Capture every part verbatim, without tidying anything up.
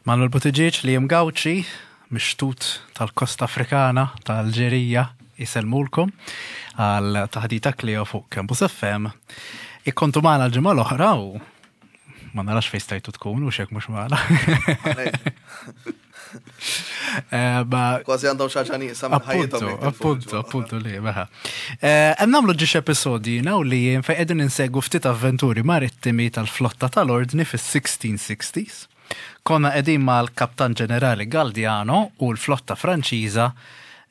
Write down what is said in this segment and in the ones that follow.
Manuel Buttigieg li Gauci, mixtut tal-Kosta Afrikana, tal-Alġerija, jisellmulkom għal taħdita Kleo fuq Campus F M. Ikkontu magħna l-ġimgħa l-oħra u ma narax fejn stajtu tkunu xek mhux magħna. Eh, ma- Kważi għandhom xi ħaġa nieqsa minn ħajjithom. Appunto, Jekk tilfu appunto, l-ġimgħa. Appunto li, meħa. Hemm nagħmlu ġiex episodji naw li jien fejn qegħdin insegwu ftit avventuri marittimi tal-flotta tal-Ordni fis-sixteen sixties. Konna qegħdin mal-Kaptan Ġenerali Galdiano u l-flotta Franċiża,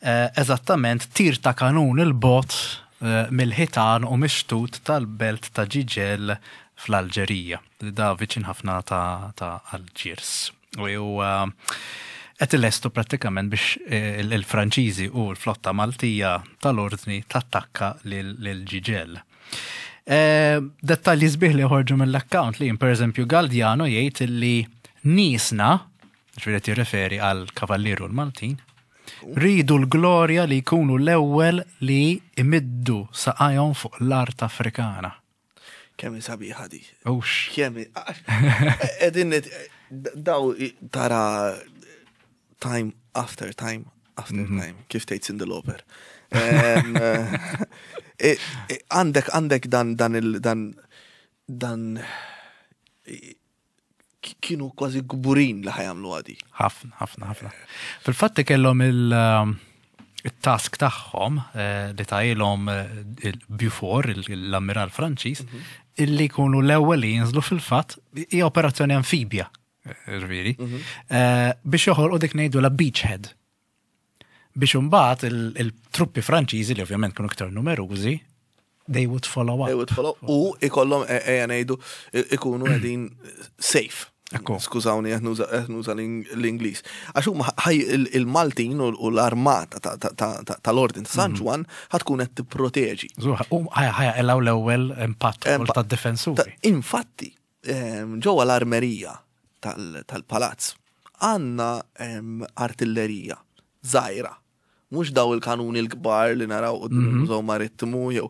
eh, eżattament tir ta' kanun il-bogħod eh, mill-ħitan u mixtut tal-belt ta' Ġiġel fl-Alġerija. Da viċin ħafna ta' ta' Alġiers. U uh, qed ilestu prattikament biex eh, il- il-Franċiżi u l-flotta Maltija tal-Ordni tattakka lil lil Ġiġel. Eh, Dettalji sbieħ li ħorġu mill-account li per eżempju Galdiano jgħid li niesna, ġifieri qed jirreferi għal kavallieri l-Maltin, ridu l-glorja li jkunu l-ewwel li imiddu saqajhom fuq l-art Afrikana. Kemm hi sabiħa di. Ux. Kemm hi- Edin daw tara time after time after time, kif tgħid Cyndi Lauper. Em, eh, eh, Għandek għandek dan dan il dan dan kienu kważi kburin li ħa jagħmlu għadi. Ħafna, ħafna, ħafna. Fil-fatt kellhom il- um, il-task tagħhom eh, li tajilhom eh, il-Beaufort, il- l-ammiral Franċiż, illi jkunu l-ewwel li jinżlu, fil-fatt hija operazzjoni amfibja, eh, ġifieri, eh, biex joħolqu dik ngħidu la beachhead. Biex imbagħad il- il-truppi Franċiżi, li ovvjament kienu iktar numerużi, they would follow up. They would follow. U ikollhom e- ejja ngħidu ikunu qegħdin safe. Ekku. Skużawni, qed nuża qed nuża l-Ingliż. Għax huma ħaj il- il-Maltin u u l-armata ta- ta- ta- ta- tal-Ordin ta' San Ġwann ħa tkun qed tipproteġi. Zuħ, U ħajja ħajja elaw l-ewwel impatt Empa- tad-difensuri. Ta- Infatti, em, ġewwa l-armerija tal- tal-palazz għandna em, artillerija żgħira. Mhux daw il-kanuni l-kbar li naraw quddiem il-Mużew Marittimu, jew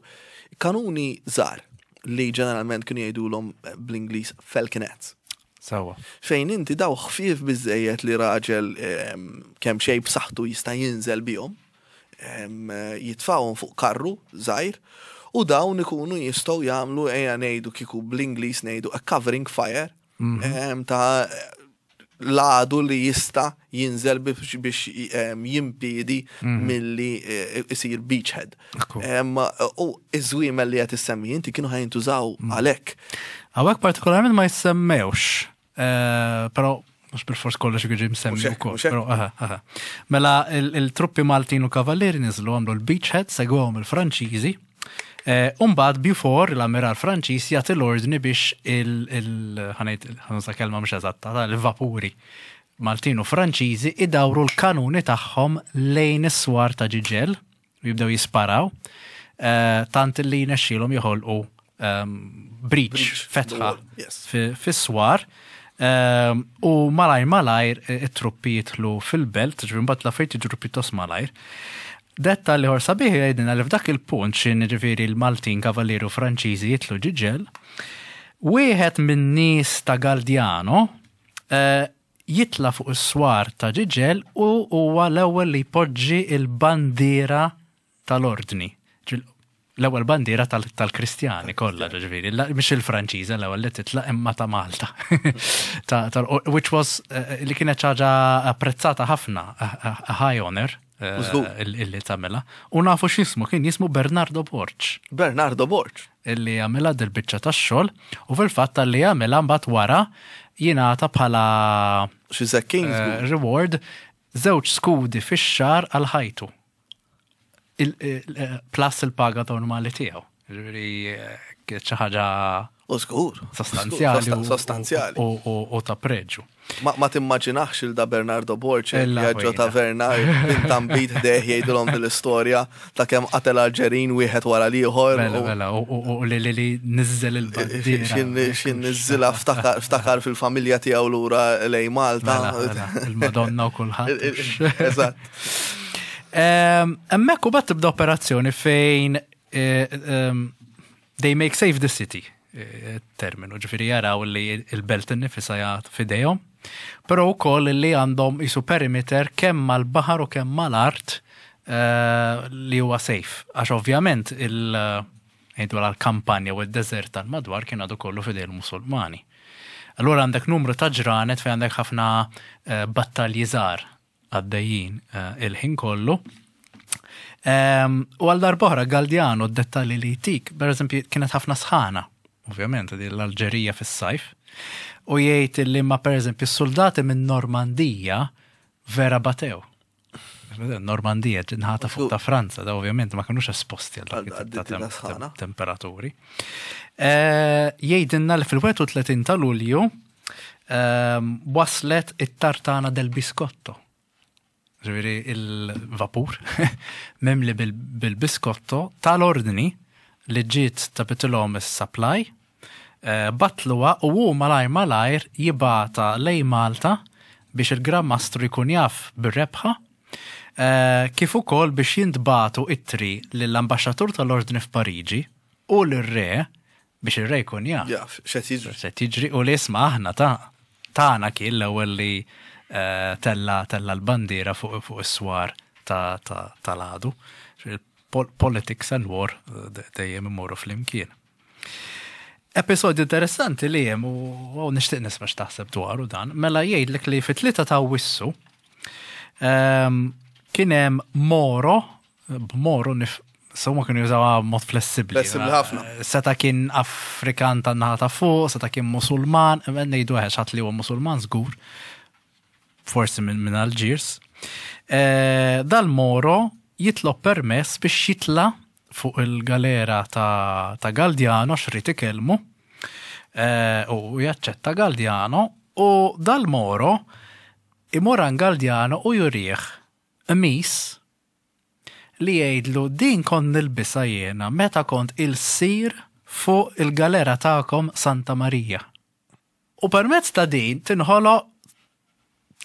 kanuni żgħar li ġeneralment kienu jgħidulhom bl-Ingliż falconets. Sawa. Fejn inti daw ħfief biżejjed li raġel em, kemm xejn b'saħħtu jista' jinżel bihom, em, jitfawhom fuq karru żgħir u dawn ikunu jistgħu jagħmlu, ejja ngħidu kieku bl-Ingliż ngħidu a covering fire em, ta' l-għadu li jista' jinżel biex, biex em, jimpidi milli eh, isir beachhead. Ekku. Em, U iż-żwiemel li qed issemmi inti kienu ħa jintużaw għalhekk. Hawnhekk partikolarment ma jissemmewx, eh, però mhux bil-fors kollox jiġi msemmi Mhux hekk, wkoll. Mhux hekk. Però, aha, aha. Mela il- il-truppi Maltin u Kavallieri niżlu, għamlu l-beachhead, segwhom il-Franċiżi. Eh, Umbagħad Beaufort, l-amiral Franċiż, jagħti l-ordni biex il- il- ħa ngħid, ħa nuża kelma mhux eżatta, il-vapuri Maltin u Franċiżi idawru l-kanuni tagħhom lejn is-swar ta' Ġiġel u jibdew jisparaw, eh, tant li jnexxielhom joħolqu ehm, breach, Breach, fetħa the wall, yes. fi- fis-swar. Ehm, u malajr malajr eh, it-truppi jidħlu fil-belt, ġifieri mbagħad l-affarijiet jiġru pjuttost malajr. Detta li ħor sabiħ jgħidilna li f'dak il-punt xin ġifieri l-Maltin, Kavallieri u Franċiżi jidħlu Ġiġel, wieħed minn nies ta' Galdiano eh, jitla fuq is-swar ta' Ġiġel u huwa l-ewwel li jpoġġi il-bandiera tal-Ordni. Ġil- L-ewwel bandiera tal- tal-Kristjani kollha, ġifieri, la- mhix il-Franċiża l-ewwel li titla' imma ta' Malta. Ta' tal- which was eh, li kienet ħaġa apprezzata ħafna, a- a a high honor eh, U żgur. il- illi tagħmilha. U nafu x'jismu kien, jismu Bernardo Borg Bernardo Borg. Illi għamilha dil-biċċa tax-xogħol, u fil-fatt li għamilha mbagħad wara jingħata bħala Xi Kings. eh, reward żewġ skudi fix-xahar għal ħajtu. Il- il- Plus il-paga normali tiegħu. Ġifieri eh, kienet xi ħaġa U żgur. sostanzjali u- Sostanzjali. u- u u ta' preġu. Ma, ma timmaġinax il da Bernardo Borg Illa jaġġo ħwejna. taverna bint ħdejh jgħidulhom dil-istorja ta' kemm qatel Alġerin wieħed wara l-ieħor. Bella, u- bella, u- u u li li li nizzel il-bandiera. Xin xin niżżilha ftakar ftakar fil-familja tiegħu lura lejn Malta. Mela, mela, il-Madonna u kulħadd. Eżatt. Hemmhekk u bat tibda operazzjoni fejn eh, em, they make safe the city, eh, terminu, ġifieri jaraw li il-belt innifisha jgħat fidejhom. Però wkoll li għandhom isu perimeter kemm mal-baħar u kemm mal-art eh, li huwa safe. Għax ovvjament il- ngħidu l-kampanja u d-deżert tal-madwar kien għadu kollu f'idejn il-Musulmani. Allura għandek numru ta' ġranet fejn għandek ħafna eh, battalji żgħar għaddejjin eh, il-ħin kollu. Ehm, U għal darb'oħra Galdiano d-dettalji li jtik, per eżempju, kienet ħafna sħana, ovvjament, di l-Alġerija fis-sajf, u jgħid li ma per eżempju s-soldati minn Normandija vera batew. Normandija ġinħata fuq ta' Franza, da ovvjament ma kinux esposti għal dak Għal it-tip ta' dik tem- sħana. temperaturi. Eh, Jgħidilna li fil-wieħed u tletin ta' Lulju ehm, waslet it-Tartana del Biscotto. Ġifieri il-vapur mimli bil- bil-biskotto tal-ordni li ġiet tabitilhom is-supply, eh, batluha u hu malajr malajr jibgħatha lejn Malta biex il-Gran Mastru jkun jaf bir-rebħa, eh, kif ukoll biex jintbagħtu ittri lill-ambaxxatur tal-ordni f'Pariġi u l-re biex ir-re jkun jaf Jaf, x'qed jiġri. Se tiġri u li isma' aħna ta' tagħna kien l-ewwel li eh, tella tella l-bandiera fuq fuq is-swar ta' ta' tal-għadu. Pol- Politics and war eh, de- dejjem imorru flimkien. Episodju interessanti li hemm u u nixtieq nisma' x'taħseb dwaru dan, mela jgħidlek li fit-tlieta ta' Awwissu ehm, kien hemm Moro, b'Moro nif so ma kienu jużawha mod flessibbli. Flessibbli ħafna. Seta kien Afrikan tan-naħa ta' fuq, seta kien Musulman, ngħidu ħadd li huwa Musulman żgur, forsi minn min Algiers. Eh, Dal-Moro jitlob permess biex jitla fuq il-galera ta', ta' Galdiano xrid ikellmu eh, u jaċċetta Galdiano u dal-Moro imur għand Galdiano u jurih qmis li jgħidlu: "Din kont nilbisha jiena meta kont il-sir fuq il-galera tagħkom Santa Maria." U permezz ta' din tinħoloq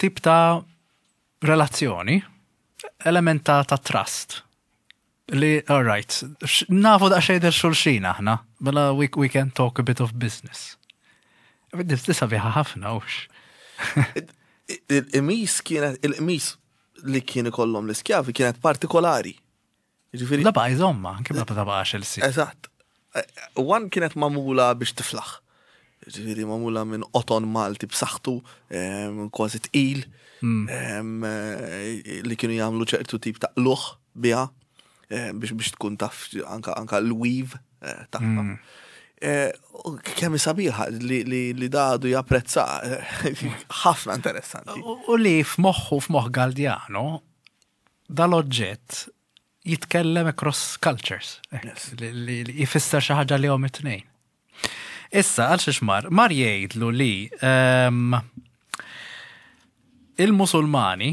tip ta' relazzjoni, element ta', ta' trust. Li, all right, x- nafu daqsxejn lil xulxin aħna, mela we, we can talk a bit of business. Di sabiħa ħafna, ux. Il-qmis kienet, il-qmis li kien ikollhom l-iskjavi kienet partikolari. Ġifieri, La baqa jżomma, anke ma tabaqax il-sir. Eżatt. One kienet magħmula biex tiflaħ. Ġifieri magħmula minn qoton Malti b'saħħtu, em, kważi tqil, em, eh, li kienu jagħmlu ċertu tip ta' qluħ biha eh, biex biex tkun taf anka anka l-weave eh, tagħha. Eh, u Kemm sabiħa li li li dadu japprezza, ħafna interessanti. U u li f'moħħu, f'moħħ Galdiano, dal-oġġett jitkellem across cultures. Yes. Li, li, li jfisser xi ħaġa li hom it-tnejn. Issa, għal xiex mar, mar jgħidlu li ehm, il-Musulmani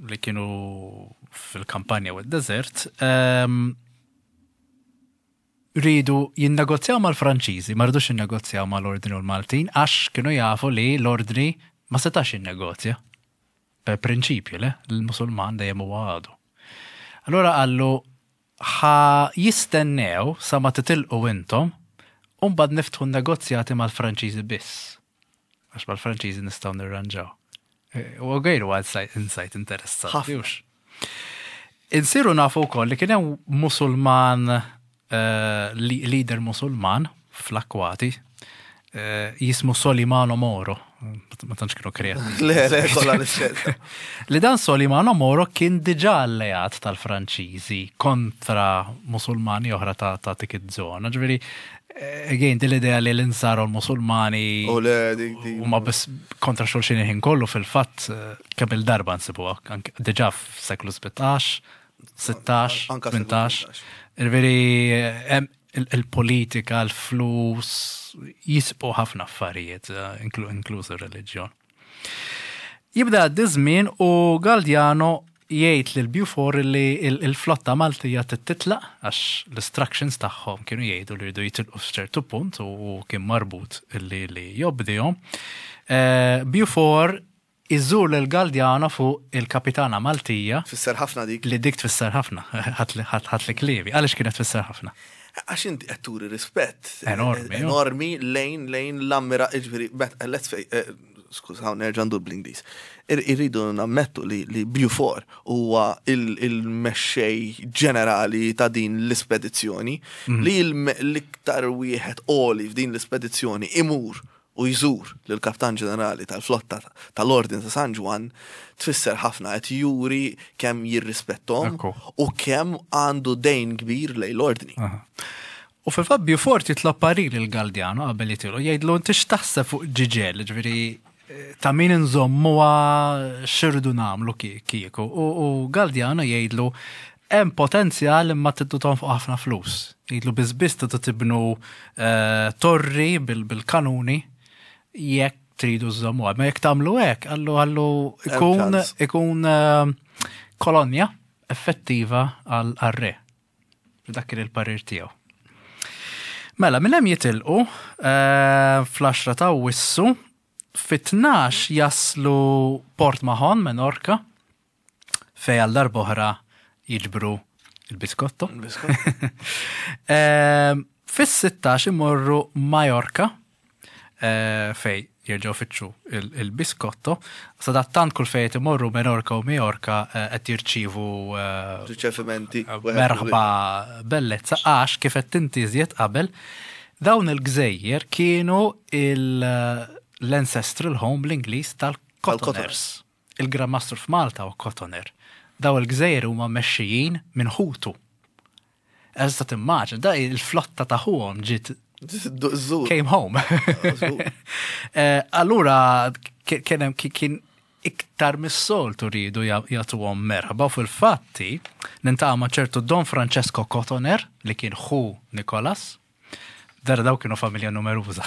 li kienu fil-kampanja u d-desert ehm, ridu jinnegozjaw mal-Franċiżi, ma ridux jinnegozjaw mal-Ordni u l-Maltin, għax kienu jafu li l-Ordni ma setax jinnegozja. Per prinċipju, le, l-Musulman dejjem huwa għadu. Allora qallu ħa jistennew sa ma titilqu intom, u mbagħad niftħu negozjati mal-Franċiżi biss. Għax mal-Franċiżi nistgħu nirranġaw. E, U għajru għal insight interessanti. Ħafna. Hux. Insiru nafu wkoll li kien hemm Musulman, eh, li- leader Musulman fl-akwati, eh, jismu Solimano Moro. Ma tantx kienu kreattivi. Le, le, kollha l-istess. Li dan Solimano Moro kien diġà alleat tal-Franċiżi kontra Musulmani oħra ta' ta' dik iż-żona. Ġifieri, eh, again, din l-idea li l-insara u l-Musulmani U le, dik dik. huma biss kontra xulxin il-ħin kollu, fil-fatt eh, kemm il-darba nsibuha anke diġà f'seklu sbatax, sittax, Anka seklu tmintax. Ġifieri hemm il- il-politika, l-flus, jisbu ħafna affarijiet, eh, inklu- inkluż ir-reliġjon. Jibda għaddi żmien u Galdiano jgħid lil Beaufort li il- il-flotta Maltija titlaq għax l-instructions tagħhom kienu jgħidu li jridu jitilqu f'ċertu punt u kien marbut li li jobdihom. Eh, Beaufort iżur lil Galdiano fuq il-kapitana Maltija. Tfisser ħafna dik. Li dik tfisser ħafna, ħadt li kliemi. Għaliex kienet tfisser ħafna? Għax inti qed turi rispett Enormi, jo. enormi lejn lejn l-ammira, ġifieri, bet- let's face, eh, Skużaw, nerġa' ndur bl-Ingliż. Irridu nammettu li, li Beaufort huwa il-mexxej ġenerali ta' din l-ispedizzjoni, mm. li l-iktar wieħed għoli f'din l-ispedizzjoni imur u jżur lill-kaptan ġenerali tal-flotta tal-Ordin ta' San Ġwann tfisser ħafna, qed juri kemm jirrispettom u kemm għandu dejn kbir lejn l-ordni. U fil-fatt Beaufort jitlob parir lil Galdiano qabel jitilqu, jgħidlu: "Inti x'taħseb fuq Ġiġel, ġifieri ta' min nżommuha, x'irridu nagħmlu kieku?" U Galdiano jgħidlu: "Hemm potenzjal imma tridu tonfqu ħafna flus." Jgħidlu: "Biss tridu tibnu eh, torri bil-kanuni jekk tridu żommuha. Ma jekk tagħmlu hekk, għallu għallu ikun ikun eh, kolonja effettiva għal-re." Dak kien il-parir tiegħu. Mela, minn hemm jitilqu eh, fl-għaxra ta' Awwissu, fit-tnax jaslu Port Mahon, Menorca, fej għal darb'oħra jiġbru il-biskotto. Eh, Fis-sittax imorru Majorca, eh, fej jerġgħu fittxu il-biskotto. Sadattant kull fejn imorru, Menorca u Majorca, qed jirċivu riċevimenti. Merħba bellezza, għax kif qed tintiżiet qabel, dawn il-gżejjer kienu l-ancestral home l-Ingliż tal-Cotoners. Il-Gran Mastru f'Malta u Cotoner. Daw il-gżejjer huma mexxijin minn ħutu. Eżda timmaġina, da il-flotta ta' ħuhom ġiet came home. Eh, allura kien kien iktar mis-soltu rridu jagħtuhom merħba u fil-fatti niltaqgħu ma' ċertu Don Francesco Cotoner li kien ħu Nikolas. Dara daw kienu familja numeruża.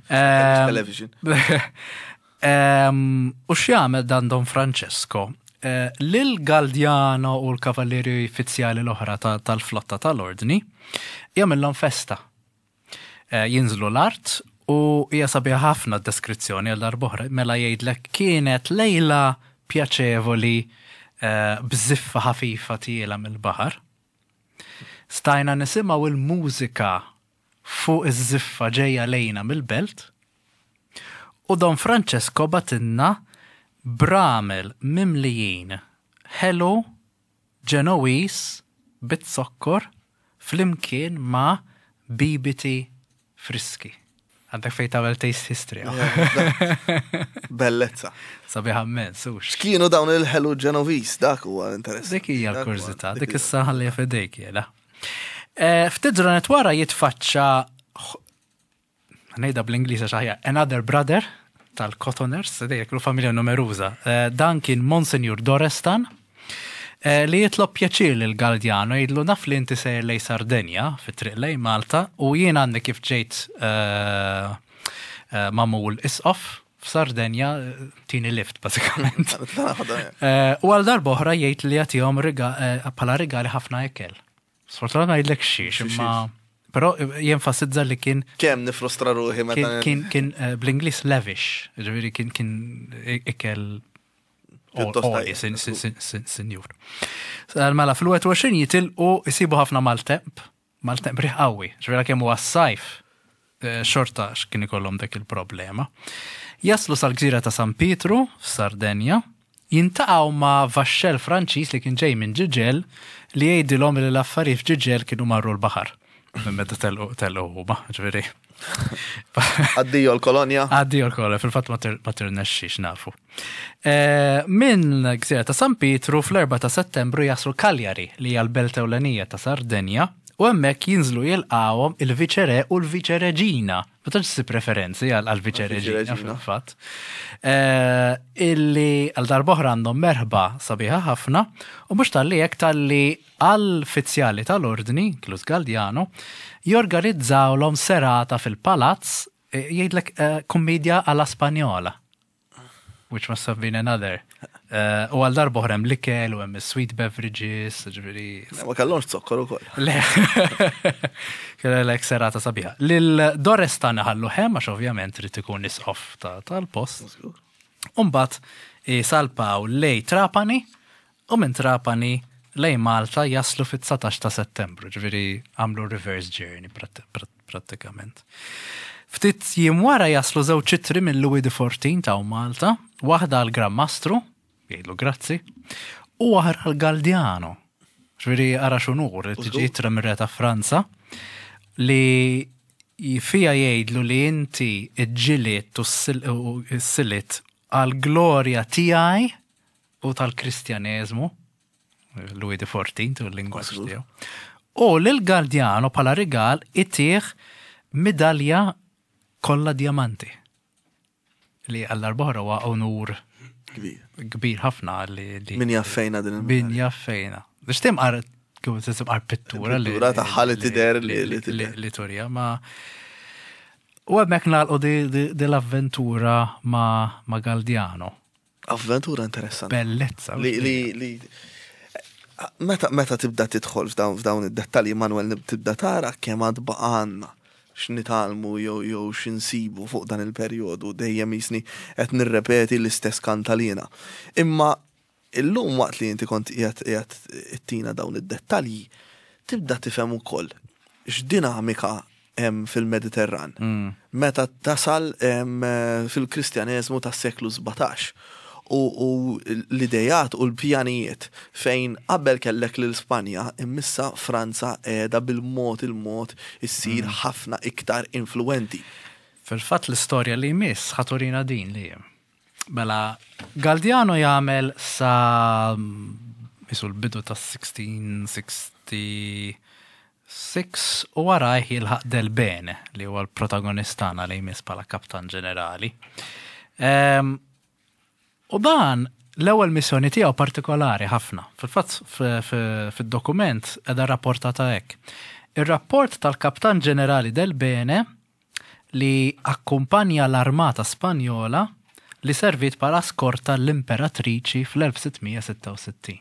Television. U x'jagħmel dan Don Francesco? Eh, Lil Galdiano u l-kavallieri uffiċjali l-oħra tal-flotta tal-ordni jagħmilhom festa. Eh, jinżlu l-art u hija sabiħa ħafna deskrizzjoni għal darb'oħra, mela jgħidlek: "Kienet lejla pjaċevoli eh, bżiffa ħafifa tiela mill-baħar. Stajna nisimgħu il-mużika fuq iż-żiffa ġejja lejna mill-belt u Don Francesco bagħtilna bramel mimlijin ħelu Ġenowiż bit-zokkor flimkien ma' bibiti friski." Għandek fej tagħmel taste history. Bellezza. Sabiħa immens, hux? X'kienu dawn il-ħelu Ġenoviż, dak huwa interessanti. Dik hija l-kurżità, dik issa ħallija f'idejk jela. Eh, ftit ġranet wara jitfaċċa, ngħidha bl-Ingliż għax aħjar, another brother tal-Cotoners, dejja kienu familja numeruża. Eh, dan kien Monsignor Dorestan, eh, li jitlob pjaċir lil Galdiano, jgħidlu: "Naf li inti sejjer lej Sardenja, fit-triq lej Malta, u jien għandi kif ġejt eh, eh, magħmul isqof f'Sardenja, tini lift basikament." Eh, U għal darba oħra jgħid li jagħtihom riga- eh, bħala rigali ħafna ikel. Sfortunatament ma jgħidlek xiex, imma però jenfasizza li kien Kemm nifrustra ruħi meta kien kien, kien eh, bl-Ingliż lavish, ġifieri kien kien ikel Pjuttost għoli, tajjeb. sin- sin- sin- sin- sinjur. Mela fil-wieħed u għoxrin jitilqu, jisibu ħafna maltemp, maltemp riħ qawwi, ġifieri kemm huwa s-sajf, eh, xorta x'kien ikollhom dak il-problema. Jaslu sal-gżira ta' San Pietru f'Sardenja, jiltaqgħu ma' vaxxell Franċiż li kien ġej minn Ġiġel li jgħidilhom li l-affarijiet f'Ġiġel kienu marru l-baħar. Minn meta telqu telqu huma, ġifieri. Addio l-kolonja. Addio l-kolonja, fil-fatt ma tir- ma tirnexxix nafu. Eh, Minn gżira ta' San Pietru fl-erbgħa ta' Settembru jaslu Cagliari, li hija l-belt ewlenija ta' Sardenja, u hemmhekk jinżlu jilqawhom il-viċere u l-viċereġina. Ma tantx issib referenzi għal viċereġina Viċereġina. fil-fatt. Eh, Illi għal darb'oħra għandhom merħba sabiħa ħafna u mhux talli hekk, talli għall-uffiċjali tal-ordni, inkluż Galdiano, jorganizzawlhom serata fil-palazz, eh, jgħidlek eh, "comedia alla Spanjola", which must have been another. Eh, U għal darb'oħra hemm l-ikel u hemm sweet beverages, ġifieri. Ma kellhomx zokkor ukoll. Le, kellek serata sabiħa. Lil Dorestan ħallu hemm għax ovvjament trid ikun isqof ta- tal-post. Umbat salpaw lej Trapani u minn Trapani lej Malta jaslu fit-dsatax ta' Settembru, ġifieri għamlu reverse journey prat- prat- prattikament. Ftit jiem wara jaslu żewġ ittri minn Louis the Fourteenth ta' Malta, waħda għal Gran Mastru, jgħidlu grazzi, u oħra għal Galdiano. Ġifieri ara x'unur, tiġi ittra mir-re ta' Franza li fija jgħidlu li inti iġġiliet u s-silit għal glorja tiegħi u tal-Kristjaneżmu, Louis the Fourteenth u l-lingwaġġ tiegħu. U lil Galdiano bħala rigal itih midalja kollha diamanti. Li għall-arbohra huwa onur Kbir. kbir ħafna li li Min jaf fejna din il Min jaf fejna. Biex timqar kif timqar pittura li Pittura tagħha li tidher li- li tidher. li turja ma U hemmhekk nagħlqu di, di, di l-avventura ma, ma Galdiano. Avventura interessanti. Bellezza. Li, li, li, meta, meta tibda tidħol f'dawn, f'dawn id-dettalji, Manuel, tibda tara kemm għad baqgħalna x'nitgħallmu jew jew x'insibu fuq dan il-perjodu, dejjem jisni qed nirrepeti l-istess kantalina. Imma illum waqt li inti kont qiegħed qiegħed ittina dawn id-dettalji, tibda tifhem ukoll x'dinamika hemm fil-Mediterran. Mm. Meta tasal em, fil-Kristjaneżmu tas-seklu sbatax u, u l-idejat u l-pjanijiet fejn qabel kellek lil Spanja, immissa Franza qiegħda bil-mod il-mod issir ħafna iktar influenti. Fil-fatt l-istorja li jmiss ħa turina din li Mela, Galdiano jagħmel sa isu l-bidu ta' sixteen sixty-six u warajh jilħaq Del Bene li huwa l-protagonistana li jmiss bħala kaptan ġenerali. Em, U dan l-ewwel missjoni tiegħu partikolari ħafna. Fil-fatt fid-dokument qiegħda rapportata hekk. Ir-rapport tal-Kaptan Ġenerali Del Bene li akkumpanja l-Armata Spanjola li servit bħala skorta l-Imperatriċi fl-elf sitt mija sitta u sittin.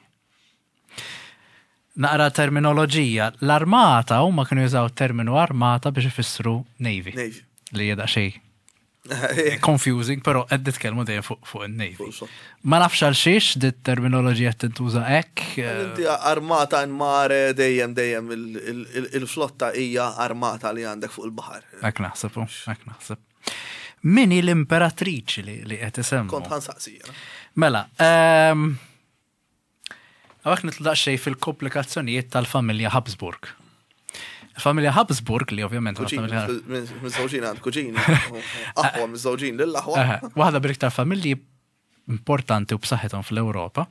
Naqra terminoloġija, l-armata huma kienu jużaw terminu armata biex ifissru navy. Navy. Li jeda xej confusing, pero qed nitkellmu dejjem fuq fuq in-navy. Fuq so. Ma nafx għal xiex dit terminoloġija tintuża hekk. eh, Inti armata in mare dejjem dejjem il- il- il- il-flotta hija armata li għandek fuq il-baħar. Hekk naħseb, u, hekk naħseb. Min hi l-imperatriċi li li qed isemmu? Kont ħa nsaqsi. jiena. Mela, ehm, hawnhekk nidħlu daqsxejn fil-komplikazzjonijiet tal-familja Habsburg. Il-familja Habsburg li ovvjament Kuġini, miżżewġin għand kuġini. Aħwa miżżewġin lill-aħwa. Eħe, waħda bil-iktar familji importanti u b'saħħithom fl-Ewropa,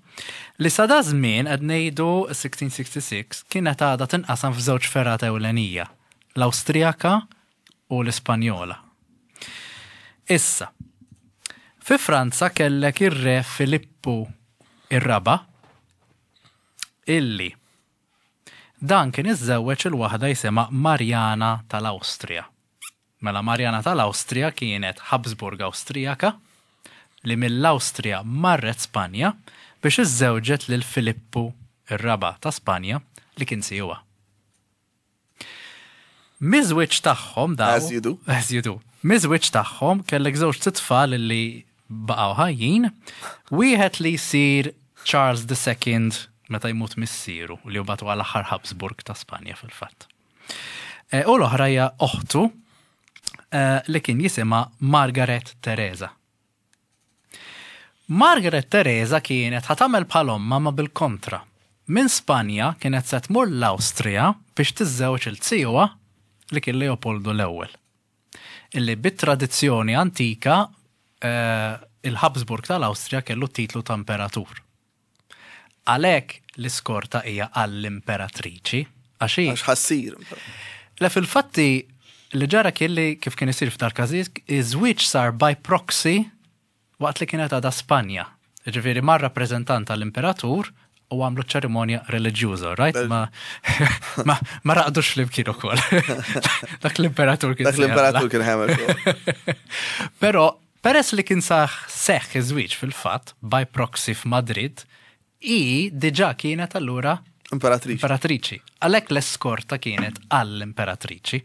li sa da żmien qed ngħidu sixteen sixty-six kienet għadha tinqasam f'żewġ fergħat ewlenija, l-Awstrijaka u l-Ispanjola. Issa, fi Franza kellek ir-re Filippu ir-Raba' illi dan kien iżżewweġ il-waħda jisimha Marjana tal-Awstrija. Mela Marjana tal-Awstrija kienet Habsburg Awstrijaka li mill-Awstrija marret Spanja biex iżżewġet lil Filippu ir-Raba' ta' Spanja li kien sijuha. Miż-żwieġ tagħhom daw. As you do. As you do. Miż-żwieġ tagħhom kellek żewġ tfal li baqgħu ħajjin, wieħed li jsir Charles the Second meta jmut missieru li mbagħad għal aħħar Habsburg ta' Spanja fil-fatt. E, U l-oħra hija oħtu eh, li kien jisimha Margaret Teresa. Margaret Teresa kienet ħa tagħmel bħal ommha ma bil-kontra. Minn Spanja kienet se tmur l-Awstrija biex tiżżewġ il-zijuha li kien Leopoldo l-ewwel. Illi bit-tradizzjoni antika eh, il-Habsburg tal-Awstrija kellu titlu ta' imperatur. Għalhekk l-iskorta hija għall-imperatriċi, għax hi Għax ħa ssir. Le, fil-fatti li ġara kien li kif kien isir f'dar każijiet, iż-żwieġ sar by proxy waqt li kienet għadha Spanja. Ġifieri mar rappreżentant tal-imperatur u għamlu ċerimonja reliġjuża, right? Ma, ma, ma raqdux flimkien ukoll. Dak l-imperatur kien Dak l-imperatur kien ħemel. Pero peress li kien saħ seħ iż-żwieġ fil-fatt by proxy f'Madrid, i diġà kienet allura Imperatriċi. imperatriċi. Għalhekk l-eskorta kienet għall-imperatriċi.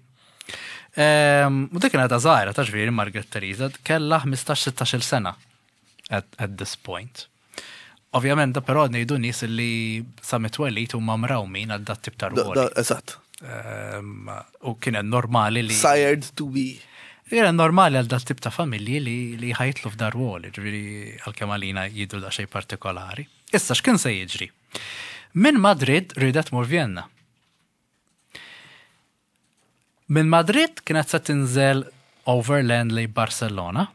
Ehm, U dik kienet żgħira ta' ġifieri Margaret Theresa kellha ħmistax sittax-il sena at, at this point. Ovvjament, da però ngħidu nies li sa mit-twelid huma mrawmin għal dat tip ta' Da- ruoli. da- Eżatt. Ehm, U kienet normali li. Sired to be. Kienet normali għal dat tip ta' familji li, li ħa jidħlu f'dar wol, ġifieri għalkemm għalina jidru daqsxejn partikolari. Issa x'kien se jiġri? Minn Madrid ridet tmur Vienna. Minn Madrid kienet se tinżel overland lejn Barcellona.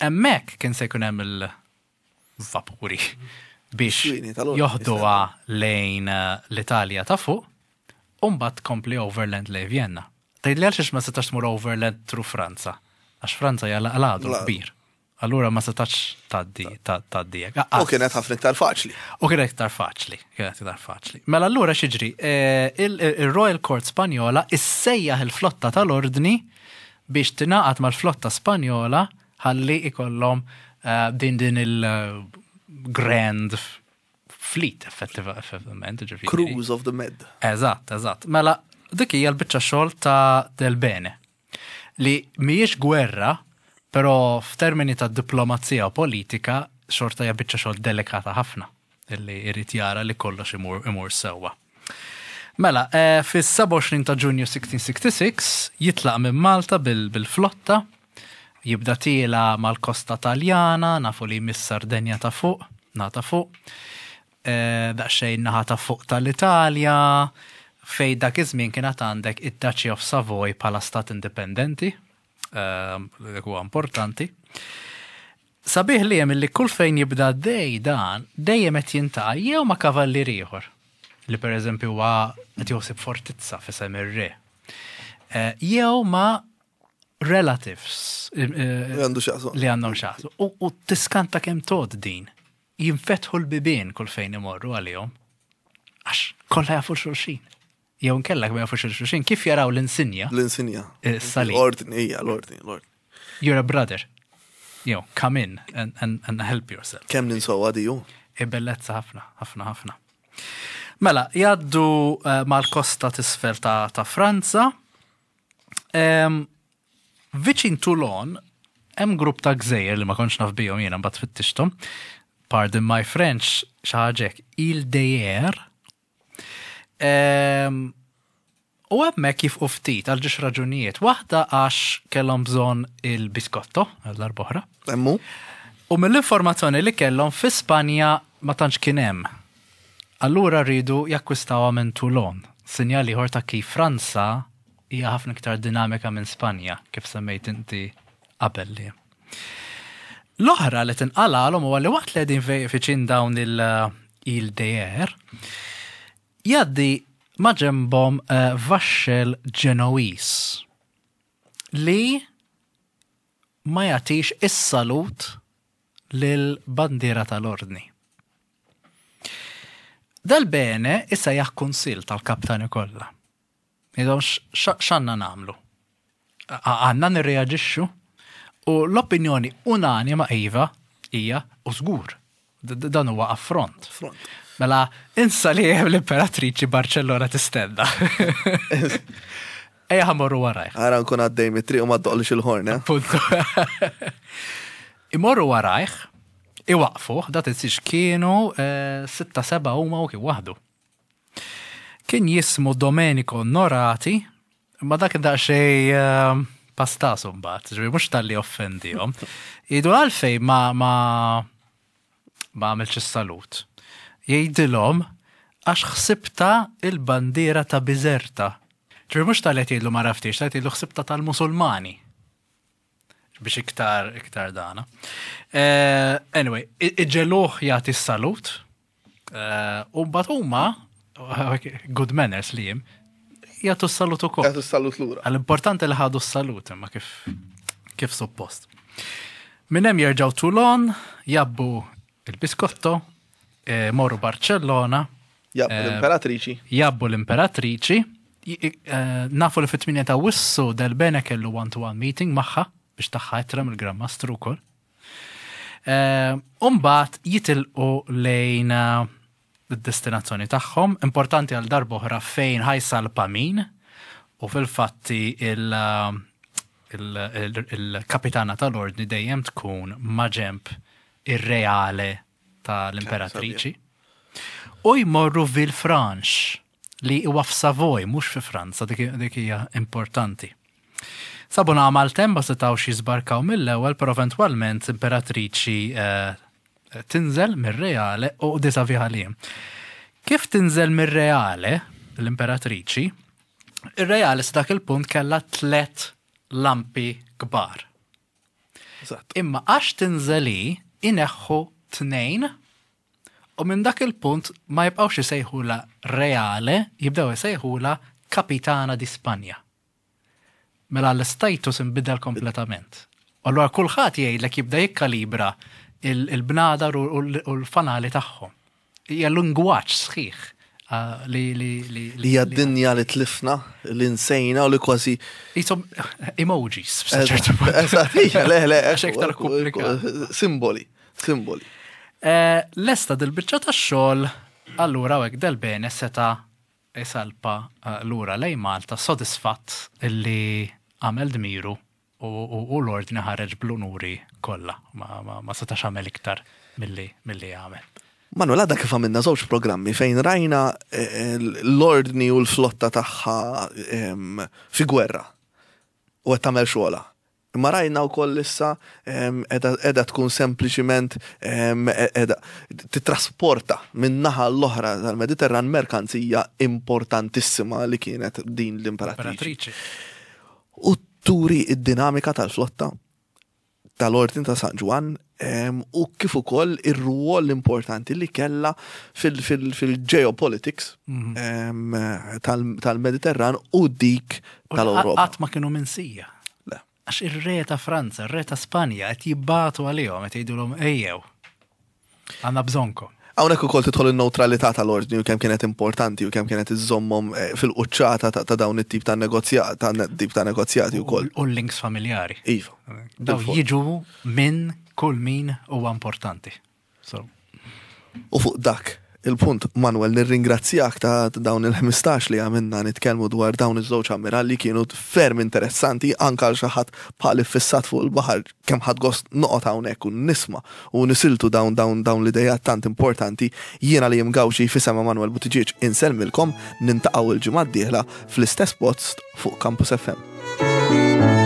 Hemmhekk kien se jkun hemm il-vapuri biex Swini tal-ordni, joħduha lejn eh, l-Italja ta' fuq u mbagħad tkompli overland lejn Vienna. Tgħidli għalxiex ma setax tmur overland through Franza? Għax Franza hija l-għadu La- kbir. Allura ma setax tgħaddi tgħaddi hekk. U kienet ħafna iktar faċli. U kienet iktar faċli, kienet iktar faċli. Mela allura x'jiġri, eh, il- il-Royal Court Spanjola issejjaħ il-flotta tal-ordni biex tingħaqad mal-flotta Spanjola ħalli ikollhom eh, din din il-grand fleet effettiva- effettivament, ġifieri. Cruise of the Med. Eżatt, eżatt. Mela, dik hija l-biċċa xogħol ta' Del Bene. Li mhijiex gwerra, però f'termini ta' diplomazija u politika, xorta hija biċċa xogħol delikata ħafna illi jrid jara li kollox imur, imur sewwa. Mela, eh, fis-sebgħa u għoxrin ta' Ġunju sittax sittax jitlaq minn Malta bil- bil-flotta, jibda tiela' mal-kosta Taljana, nafu li jmiss Sardenja ta' fuq, nata fuq, eh, daqsxejn naħa ta' fuq tal-Italja, fej dak iż-żmien kienet għandek id-Duchy of Savoy bħala stat indipendenti, eh, dak huwa importanti. Sabiħ li hemm li kull fejn jibda dej dan, dejjem qed jiltaqa' jew ma' kavallier ieħor li per eżempju huwa qed joħsib fortizza f'isem ir-re. Eh, Jew ma' relatives eh, Li għandu x'jaqsam. li għandhom x'jaqsmu. U, u tiskanta kemm tod din. Jinfetħu l-bibien kull fejn imorru għalihom. Għax kollha jafu xulxin. Jew nkellak ma jafu xulxin, kif jaraw l-insinja? L-insinja. Eh, Salib. L-ordni, hija, l-ordni, l-ordni. You're a brother. Jew, come in and, and, and help yourself. Kemm ninsowa diju? Bellezza ħafna, ħafna, ħafna. Mela, jgħaddu uh, mal-kosta t'isfel ta', ta' Franza. Um, viċin Toulon, hemm grupp ta' gżejjer li ma kontx naf bihom jiena mbagħad fittixthom. Pardon my French, xi ħaġa hekk, Îles d'Hyères. Um, u hemmhekk jieqfu ftit għal żewġ raġunijiet. Waħda għax kellhom bżonn il-biskotto għal darb'oħra. Emmu? U mill-informazzjoni li kellhom fi Spanja ma tantx kien hemm. Allura rridu jakkwistawha minn Toulon. Sinjal ieħor ta' kif Franza hija ħafna iktar dinamika minn Spanja, kif semmejt inti qabel li. L-oħra li tinqalalhom huwa li waqt li qegħdin fi- viċin dawn il-Îles d'Hyères, jgħaddi maġenbhom uh, vaxxel Ġenowiż li ma jagħtix is-salut lil-bandiera tal-ordni. Del Bene issa kunsil tal-kaptani kollha. Jgħidhom x'għandna nagħmlu? Għandna nirreaġixxu? U l-opinjoni unanima iva hija u żgur. D- d- Dan huwa affront. Front. Mela, insa li hemm l-imperatriċi Barcellona tistenna. Ejja ħa mmorru warajh. Ara nkun għaddej mit-triq u ma ddoqqlix il-horn, eh? Punto. Imorru warajh, iwaqfu, da tinsiex kienu eh, sitta seba huma u kien waħdu. Kien jismu Domenico Norati, ma dak daqsxejn eh, pastasu mbagħad, ġifieri mhux talli offendihom. Jgħidu għalfejn ma ma ma għamilx is-salut. Jgħidilhom għax ħsibta il-bandiera ta' Bizerta. Ġifieri mhux talli qed jgħidlu ma għaraftix, tal jgħidlu ħsibta tal-Musulmani biex iktar iktar dana. Eh, anyway, i- iġegħluh jagħti s-salut. eh, U mbagħad huma good manners li jim jagħtu s-salut ukoll. Jagħtu s-salut lura. Għall-importanti li ħadu s-salut imma kif kif suppost. Minn hemm jerġgħu Toulon, jgħabbu il-biskotto, eh, morru Barcellona, Jgħabbu Eh, l-imperatriċi. jgħabbu l-imperatriċi, j- eh, nafu li fit-tmienja ta' Awwissu Del Bene kellu one-to-one meeting magħha biex taha ittra mill-Gran Mastru wkoll. Eh, Umbagħad jitilqu lejn eh, id-destinazzjoni tagħhom, importanti għal darb'oħra fejn ħa jsalpa min u fil-fatti il- il- il- il-kapitana tal-ordni dejjem tkun maġemb ir-reale tal-imperatriċi. U jmorru Villefranche li huwa f'Savoy, mhux fi Franza, dik dik hija importanti. Sabu maltemp, ma setgħux jisbarkaw mill-ewwel, però eventwalment imperatriċi eh, tinżel mir-Reale u disa li. Kif tinżel mir-Reale, l-imperatriċi, ir-Reale sa dak il-punt kella tlet lampi kbar. Eżatt. Imma għax tinżeli ineħħu tnejn u minn dak il-punt ma jibqawx isejħula Reale, jibdew isejħula Capitana di Spanja. Mela l-status inbidel kompletament. U allura kulħadd jgħidlek jibda jikkalibra il- il-bnadar u u l-fanali tagħhom. Hija lingwaġġ sħiħ ah, li li li Li hija dinja li tlifna, li nsejna u li kważi. Jisom emojis f'ċertu punt. Eżatt, hija, le, le, Għax iktar komplikat. Simboli, simboli. Eh, Lesta dil-biċċa tax-xogħol, allura hekk Del Bene seta isalpa eh, lura lejn Malta sodisfatt illi għamel dmiru u, u, u l-ordni ħareġ bl-unuri kollha. Ma, ma, ma setax għamel iktar milli milli għamel. Manuel, għadha kif għamilna żewġ programmi fejn rajna eh, l-ordni u l-flotta tagħha em, fi gwerra u qed tagħmel xogħolha. Imma rajna wkoll issa em, qiegħda qiegħda tkun sempliċiment em, qiegħda titrasporta minn naħa l-oħra tal-Mediterran merkanzija importantissima li kienet din l-imperatriċi. Imperatriċi. U turi id-dinamika tal-flotta tal-Ordni ta' San Ġwann em, u kif ukoll ir-rwol importanti li kella fil-geopolitics em, tal- tal-Mediterran u dik U tal-Ewropa. Qatt ma kienu minsija. Le. Għax ir-re ta' Franza, ir-re ta' Spanja qed jibbatu għalihom qed jgħidulhom ejjew. Għandna bżonnkom. Hawnhekk ukoll tidħol in-neutralità tal-ordni u kemm kienet importanti u kemm kienet iżommhom eh, fil-quċċata ta' ta' dawn it-tip ta' negozjat ta' tip ta' negozjati wkoll. U l-links familjari. Iva. Daw Bil-fors. jiġu minn kull min huwa importanti. So, U fuq dak il-punt, Manuel, nirringrazzjak ta' ta' dawn il-ħmistax li għamilna nitkellmu dwar dawn iż-żewġ ammiralli, kienu ferm interessanti anka għal xi ħadd bħal iffissat fuq il-baħar, kemm ħadt gost noqgħod hawnhekk u nisma' u nisiltu dawn dawn dawn l-idejat tant importanti. Jiena li jimgawxi f'isem Manuel Buttigieg insellmilkom, niltaqgħu il-ġimgħa d-dieħla fl-istess post fuq Campus F M.